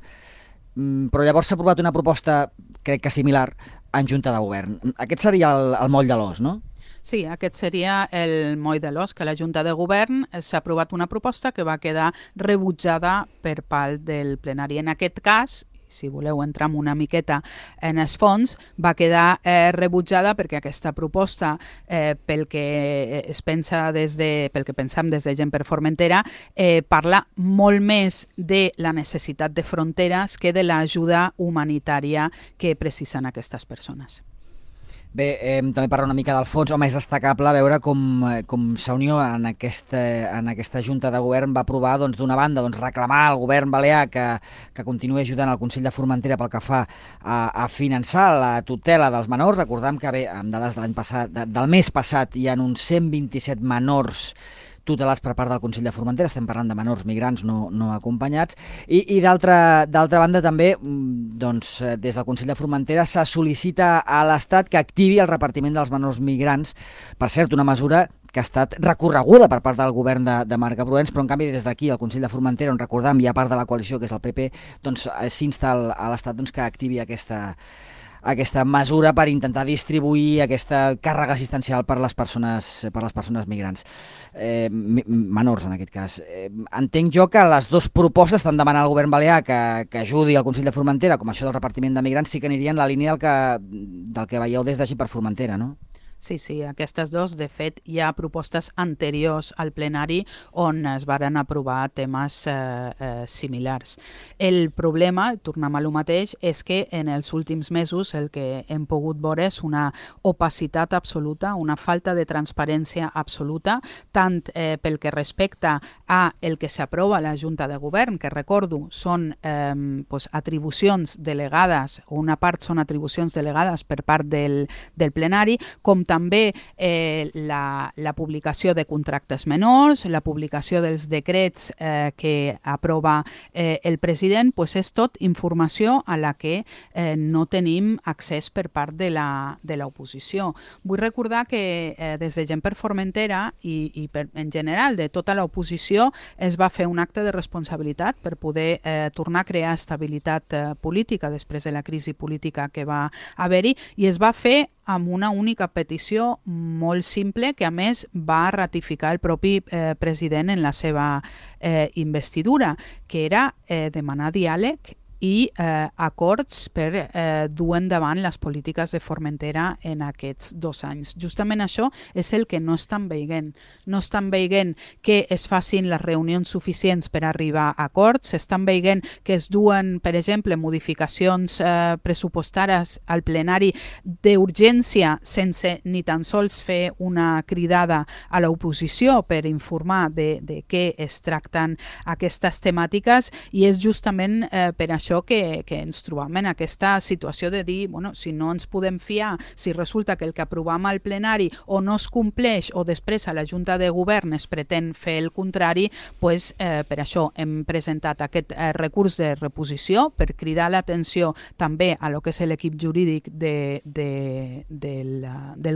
Però llavors s'ha aprovat una proposta, crec que similar, en Junta de Govern. Aquest seria el moll de l'os, no? Sí, aquest seria el moll de l'os, que a la Junta de Govern s'ha aprovat una proposta que va quedar rebutjada per part del plenari. En aquest cas, si voleu entrar una miqueta en els fons, va quedar rebutjada perquè aquesta proposta, pel que es pensa pel que pensam des de Gent per Formentera, parla molt més de la necessitat de fronteres que de l'ajuda humanitària que precisen aquestes persones. Bé, també parlar una mica del fons. Home, és destacable veure com Unió en aquesta Junta de Govern va aprovar, d'una banda, reclamar al govern balear que continuï ajudant el Consell de Formentera pel que fa a finançar la tutela dels menors. Recordem que, bé, amb dades de l'any passat, del mes passat, hi ha uns 127 menors tutelats per part del Consell de Formentera, estem parlant de menors migrants no acompanyats, i d'altra banda també, des del Consell de Formentera se sol·licita a l'Estat que activi el repartiment dels menors migrants, per cert, una mesura que ha estat recorreguda per part del govern de Marc Proens, però en canvi des d'aquí, al Consell de Formentera, on recordam hi ha part de la coalició, que és el PP, s'insta a l'Estat que activi aquesta mesura per intentar distribuir aquesta càrrega assistencial per les persones migrants, menors en aquest cas. Entenc jo que les dues propostes estan demanant al govern balear que ajudi al Consell de Formentera, com això del repartiment de migrants, sí que anirien en la línia del que veieu des de Gent per Formentera, no? Sí, aquestes dues, de fet, hi ha propostes anteriors al plenari on es varen aprovar temes similars. El problema, tornem a lo mateix, és que en els últims mesos el que hem pogut veure és una opacitat absoluta, una falta de transparència absoluta, tant pel que respecta a el que s'aprova a la Junta de Govern, que recordo són atribucions delegades, o una part són atribucions delegades per part del plenari, com també la publicació de contractes menors, la publicació dels decrets que aprova el president, és tot informació a la que no tenim accés per part de l'oposició. Vull recordar que des de Gent per Formentera i en general de tota l'oposició es va fer un acte de responsabilitat per poder tornar a crear estabilitat política després de la crisi política que va haver-hi, i es va fer amb una única petició molt simple que a més va ratificar el propi president en la seva investidura, que era demanar diàleg i acords per dur endavant les polítiques de Formentera en aquests 2 anys. Justament això és el que no estan veient. No estan veient que es facin les reunions suficients per arribar a acords, estan veient que es duen, per exemple, modificacions pressupostàries al plenari d'urgència sense ni tan sols fer una cridada a l'oposició per informar de què es tracten aquestes temàtiques, i és justament per això que ens trobam en aquesta situació de dir, bueno, si no ens podem fiar, si resulta que el que aprovam al plenari o no es compleix o després a la Junta de Govern es pretén fer el contrari, pues, per això hem presentat aquest recurs de reposició per cridar l'atenció també a lo que és l'equip jurídic del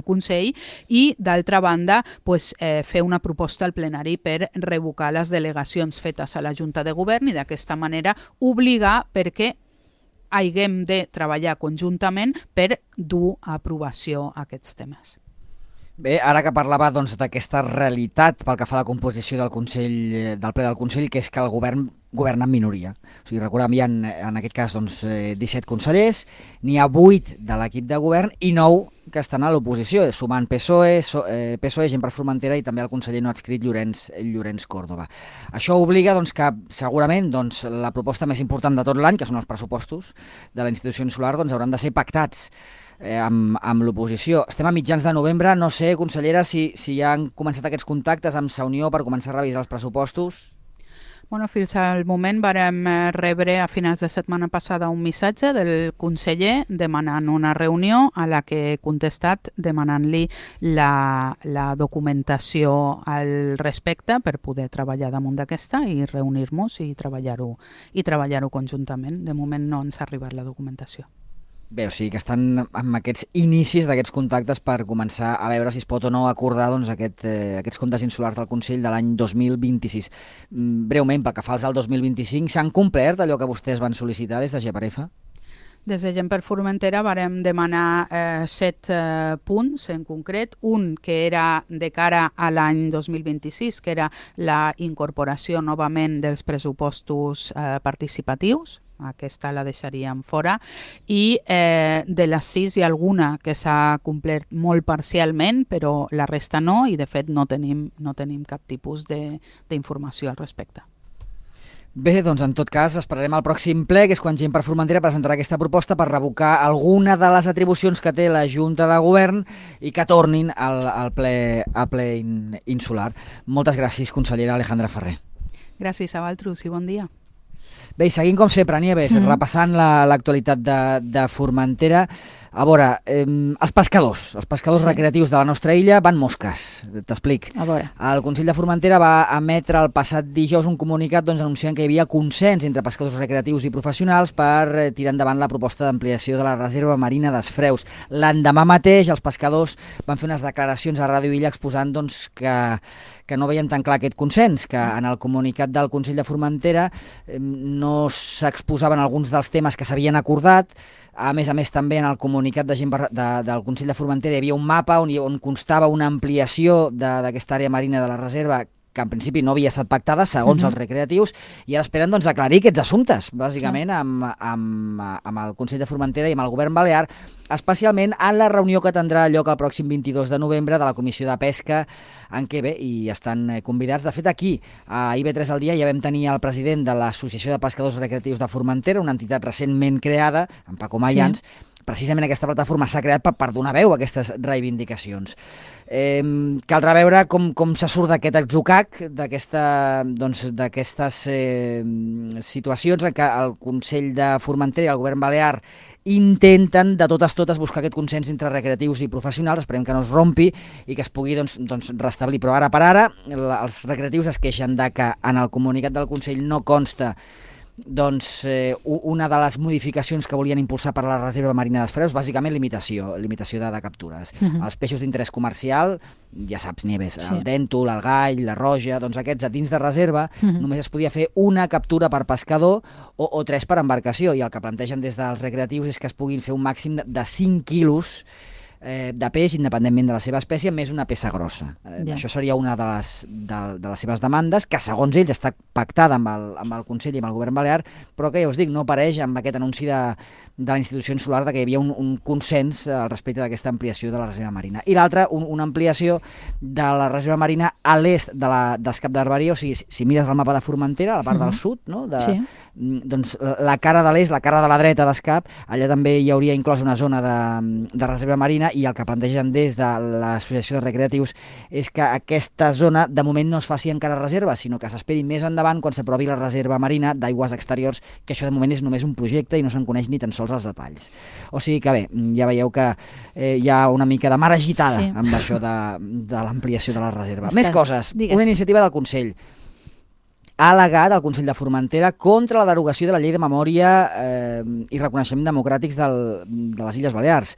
Consell i, d'altra banda, pues, fer una proposta al plenari per revocar les delegacions fetes a la Junta de Govern i d'aquesta manera obligar perquè haguem de treballar conjuntament per dur a aprovació aquests temes. Bé, ara que parlava d'aquesta realitat pel que fa a la composició del Consell, del ple del Consell, que és que el govern governa en minoria. O sigui, recordem, hi ha en aquest cas 17 consellers, n'hi ha 8 de l'equip de govern i 9 que estan a l'oposició, sumant PSOE, Gent per Formentera i també el conseller no adscrit Llorenç Córdoba. Això obliga que segurament la proposta més important de tot l'any, que són els pressupostos de la institució insular, hauran de ser pactats amb l'oposició. Estem a mitjans de novembre, no sé, consellera, si ja han començat aquests contactes amb Sa Unió per començar a revisar els pressupostos. Bueno, fins al moment vàrem rebre a finals de setmana passada un missatge del conseller demanant una reunió a la que he contestat demanant-li la documentació al respecte per poder treballar damunt d'aquesta i reunir-nos i treballar-ho conjuntament. De moment no ens ha arribat la documentació. Bé, o sigui que estan amb aquests inicis d'aquests contactes per començar a veure si es pot o no acordar aquests comptes insulars del Consell de l'any 2026. Breument, pel que fa als del 2025, s'han complert allò que vostès van sol·licitar des de GPRF? Des de Gent per Formentera vàrem demanar 7 punts en concret, un que era de cara a l'any 2026, que era la incorporació novament dels pressupostos participatius, aquesta la deixaríem fora, i de les 6 hi ha alguna que s'ha complert molt parcialment, però la resta no, i de fet no tenim cap tipus d'informació al respecte. Bé, doncs en tot cas esperarem el pròxim ple, que és quan Gent per Formentera presentarà aquesta proposta per revocar alguna de les atribucions que té la Junta de Govern i que tornin al ple insular. Moltes gràcies, consellera Alejandra Ferrer. Gràcies a vosaltres i bon dia. Bé, i seguim com sempre, Nieves, repassant l'actualitat de Formentera. A veure, els pescadors recreatius de la nostra illa van mosques, t'explic. El Consell de Formentera va emetre el passat dijous un comunicat anunciant que hi havia consens entre pescadors recreatius i professionals per tirar endavant la proposta d'ampliació de la reserva marina d'Esfreus. L'endemà mateix els pescadors van fer unes declaracions a Ràdio Illa exposant que no veien tan clar aquest consens, que en el comunicat del Consell de Formentera no s'exposaven alguns dels temes que s'havien acordat. A més també en el comunicat del Consell de Formentera hi havia un mapa on constava una ampliació d'aquesta àrea marina de la reserva que en principi no havia estat pactada, segons els recreatius, i ara esperen aclarir aquests assumptes, bàsicament amb el Consell de Formentera i amb el Govern Balear, especialment en la reunió que tindrà lloc el pròxim 22 de novembre de la Comissió de Pesca, en què hi estan convidats. De fet, aquí, a IB3 al dia, ja vam tenir el president de l'Associació de Pescadors Recreatius de Formentera, una entitat recentment creada, en Paco Mayans. Precisament aquesta plataforma s'ha creat per donar veu a aquestes reivindicacions. Caldrà veure com se surt d'aquest atzucac, d'aquestes situacions en què el Consell de Formentera i el Govern Balear intenten de totes buscar aquest consens entre recreatius i professionals. Esperem que no es rompi i que es pugui restablir. Però ara per ara els recreatius es queixen de que en el comunicat del Consell no consta una de les modificacions que volien impulsar per a la reserva marina d'Esfreus, bàsicament limitació de captures. Els peixos d'interès comercial, ja saps, Nieves, el dèntol, el gall, la roja, aquests a dins de reserva només es podia fer una captura per pescador o 3 per embarcació, i el que plantegen des dels recreatius és que es puguin fer un màxim de 5 quilos de peix, independentment de la seva espècie, més una peça grossa. Això seria una de les seves demandes, que segons ells està pactada amb el Consell i amb el Govern Balear, però que ja us dic, no apareix amb aquest anunci de la institució insular que hi havia un consens al respecte d'aquesta ampliació de la reserva marina. I l'altra, una ampliació de la reserva marina a l'est d'Escap de Barbaria, o sigui, si mires el mapa de Formentera, a la part del sud, no? Doncs la cara de l'est, la cara de la dreta d'Escap, allà també hi hauria inclòs una zona de reserva marina, i el que plantegen des de l'Associació de Recreatius és que aquesta zona de moment no es faci encara reserva, sinó que s'esperi més endavant quan s'aprovi la reserva marina d'aigües exteriors, que això de moment és només un projecte i no se'n coneix ni tan sols els detalls. O sigui que bé, ja veieu que hi ha una mica de mar agitada amb això de l'ampliació de la reserva. Més coses, una iniciativa del Consell. Ha al·legat el Consell de Formentera contra la derogació de la Llei de Memòria i Reconeixement Democràtics de les Illes Balears.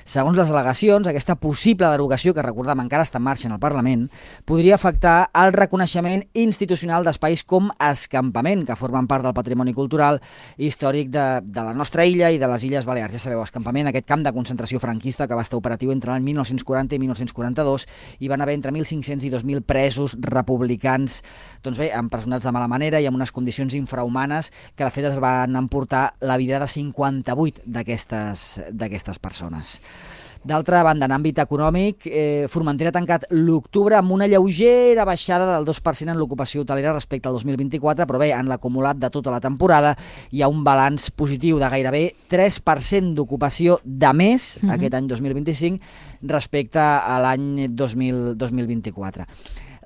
Segons les al·legacions, aquesta possible derogació, que recordem encara està en marxa en el Parlament, podria afectar el reconeixement institucional d'espais com escampament, que formen part del patrimoni cultural i històric de la nostra illa i de les Illes Balears. Ja sabeu, escampament, aquest camp de concentració franquista que va estar operatiu entre l'any 1940 i 1942, i van haver entre 1.500 i 2.000 presos republicans, doncs bé, empresonats de mala manera i amb unes condicions infrahumanes que de fet es van emportar la vida de 58 d'aquestes persones. D'altra banda, en àmbit econòmic, Formentera ha tancat l'octubre amb una lleugera baixada del 2% en l'ocupació hotelera respecte al 2024, però bé, en l'acumulat de tota la temporada hi ha un balanç positiu de gairebé 3% d'ocupació de més aquest any 2025 respecte a l'any 2024.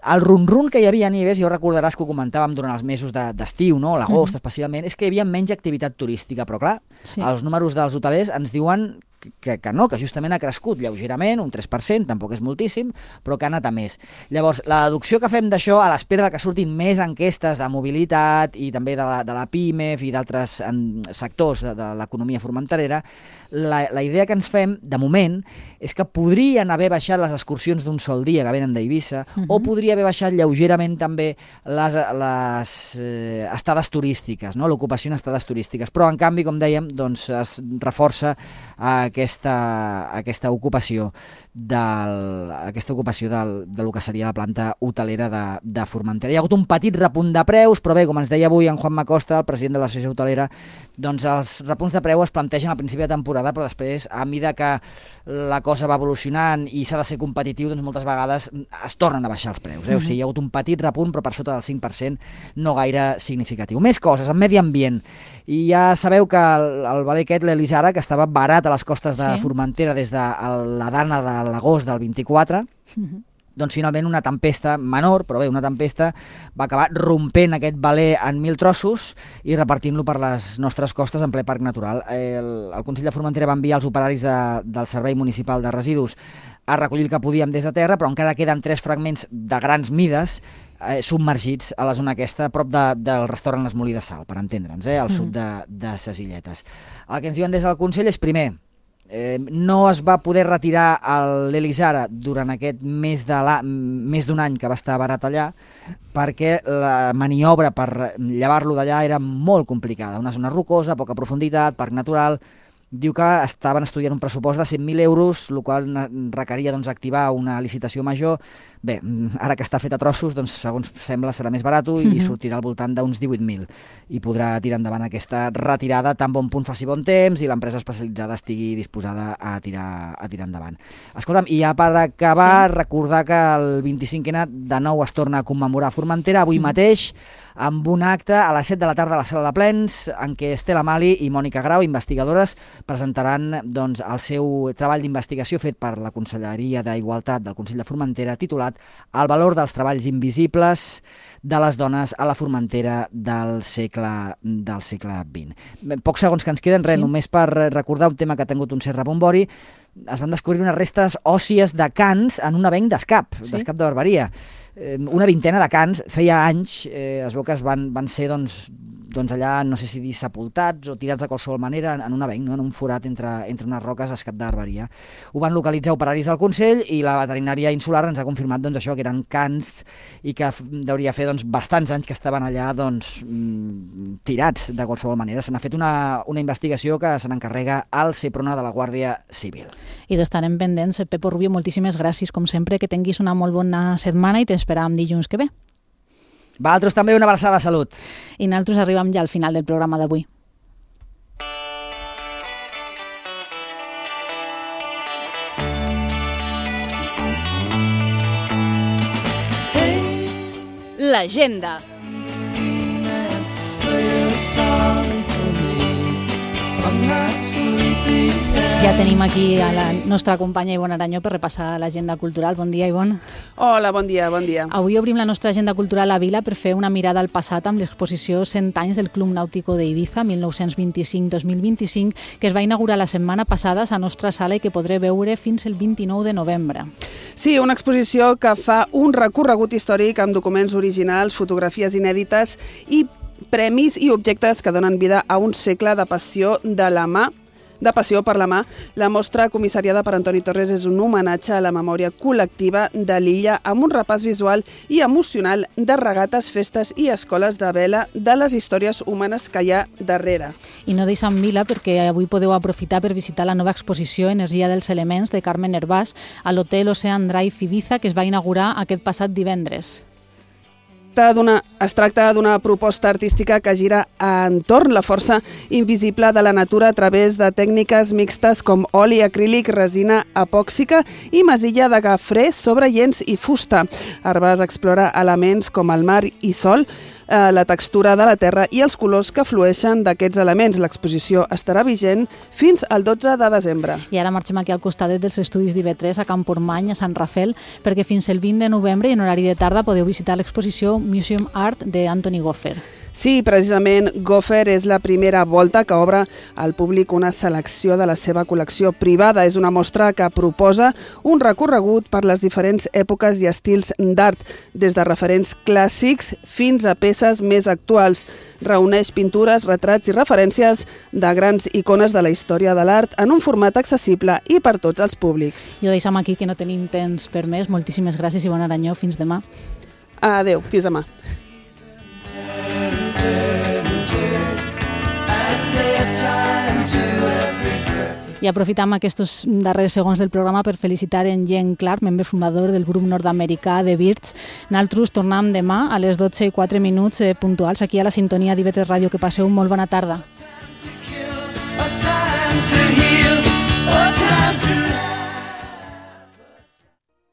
El run-run que hi havia a Nieves, ja ho recordaràs que ho comentàvem durant els mesos d'estiu, no? L'agost especialment, és que hi havia menys activitat turística, però clar, els números dels hotelers ens diuen que no, que justament ha crescut lleugerament, un 3%, tampoc és moltíssim, però que ha anat a més. Llavors, la deducció que fem d'això, a l'espera que surtin més enquestes de mobilitat i també de la PIMEF i d'altres sectors de l'economia formenterera, la idea que ens fem, de moment, és que podrien haver baixat les excursions d'un sol dia que venen d'Eivissa, o podria haver baixat lleugerament també les estades turístiques, no? L'ocupació en estades turístiques. Però, en canvi, com dèiem, doncs es reforça aquesta ocupació del que seria la planta hotelera de Formentera. Hi ha hagut un petit repunt de preus, però bé, com ens deia avui en Juan Macosta, el president de l'associació hotelera, doncs els repunts de preu es plantegen al principi de temporada, però després, a mesura que la cosa va evolucionant i s'ha de ser competitiu, doncs moltes vegades es tornen a baixar els preus. O sigui, hi ha hagut un petit repunt, però per sota del 5%, no gaire significatiu. Més coses, en medi ambient. I ja sabeu que el valer aquest, l'Elisara, que estava barat a les costes de Formentera des de la dana de l'agost del 24, doncs finalment una tempesta menor, però bé, una tempesta va acabar rompent aquest valer en 1.000 trossos i repartint-lo per les nostres costes en ple parc natural. El Consell de Formentera va enviar els operaris del Servei Municipal de Residus a recollir el que podíem des de terra, però encara queden 3 fragments de grans mides submergits a la zona aquesta, a prop del restaurant Les Molí de Sal, per entendre'ns, al sud de ses Illetes. El que ens diuen des del Consell és, primer, no es va poder retirar l'Elisara durant aquest més d'un any que va estar barat allà, perquè la maniobra per llevar-lo d'allà era molt complicada. Una zona rocosa, poca profunditat, parc natural. Diu que estaven estudiant un pressupost de 100.000 euros, el qual requeria activar una licitació major. Bé, ara que està fet a trossos, doncs, segons sembla, serà més barat i sortirà al voltant d'uns 18.000 i podrà tirar endavant aquesta retirada tan bon punt faci bon temps i l'empresa especialitzada estigui disposada a tirar endavant. Escolta'm, i ja per acabar, recordar que el 25N de nou es torna a commemorar a Formentera, avui mateix, amb un acte a les 7 de la tarda a la sala de plens, en què Estela Mali i Mònica Grau, investigadores, presentaran doncs, el seu treball d'investigació fet per la Conselleria d'Igualtat del Consell de Formentera, titulat El valor dels treballs invisibles de les dones a la Formentera del segle XX. Pocs segons que ens queden, només per recordar un tema que ha tingut un cert rebombori. Es van descobrir unes restes òssies de cans en un avenc d'Escap de Barbaria. Una vintena de cans, feia anys, es veu que van ser doncs allà, no sé si dir sepultats o tirats de qualsevol manera en un avenc, no? En un forat entre unes roques a Escat d'Arberia. Ho van localitzar operaris del Consell i la veterinària insular ens ha confirmat doncs, això, que eren cans i que deuria fer doncs, bastants anys que estaven allà doncs, tirats de qualsevol manera. Se n'ha fet una investigació que se n'encarrega al Seprona de la Guàrdia Civil. I d'estarem pendents. Pepo Rubio, moltíssimes gràcies, com sempre, que tinguis una molt bona setmana i t'esperàvem dilluns que ve. Vosaltres també una abraçada, salut. I nosaltres arribem ja al final del programa d'avui. L'agenda. Ja tenim aquí a la nostra companya Ivonne Aranyó per repassar l'agenda cultural. Bon dia, Ivonne. Hola, bon dia, bon dia. Avui obrim la nostra agenda cultural a Vila per fer una mirada al passat amb l'exposició 100 anys del Club Nàutico d'Eivissa, 1925-2025, que es va inaugurar la setmana passada a la nostra sala i que podré veure fins el 29 de novembre. Sí, una exposició que fa un recorregut històric amb documents originals, fotografies inèdites i premis i objectes que donen vida a un segle de passió per la mà. La mostra comissariada per Antoni Torres és un homenatge a la memòria col·lectiva de l'illa amb un repàs visual i emocional de regates, festes i escoles de vela de les històries humanes que hi ha darrere. I no deixem Vila perquè avui podeu aprofitar per visitar la nova exposició Energia dels Elements de Carmen Hervás a l'Hotel Ocean Drive Ibiza que es va inaugurar aquest passat divendres. Es tracta d'una proposta artística que gira entorn la força invisible de la natura a través de tècniques mixtes com oli acrílic, resina epòxica i masilla de gafré sobre llenç i fusta. Hervás explora elements com el mar i sol, la textura de la terra i els colors que flueixen d'aquests elements. L'exposició estarà vigent fins al 12 de desembre. I ara marxem aquí al costadet dels estudis d'IV3 a Campormany, a Sant Rafel, perquè fins el 20 de novembre i en horari de tarda podeu visitar l'exposició Museum Art d'Anthony Goffer. Sí, precisament Goffer és la primera volta que obre al públic una selecció de la seva col·lecció privada. És una mostra que proposa un recorregut per les diferents èpoques i estils d'art, des de referents clàssics fins a peces més actuals. Reuneix pintures, retrats i referències de grans icones de la història de l'art en un format accessible i per tots els públics. Jo deixem aquí que no tenim temps per més. Moltíssimes gràcies, Ivonne Aranyó. Fins demà. Adéu, fins demà. I aprofitam aquests darrers segons del programa per felicitar en Jen Clark, membre fundador del grup nord-americà The Birds. Nosaltres tornem demà a les 12:04 puntuals aquí a la sintonia d'IV3 Ràdio. Que passeu molt bona tarda.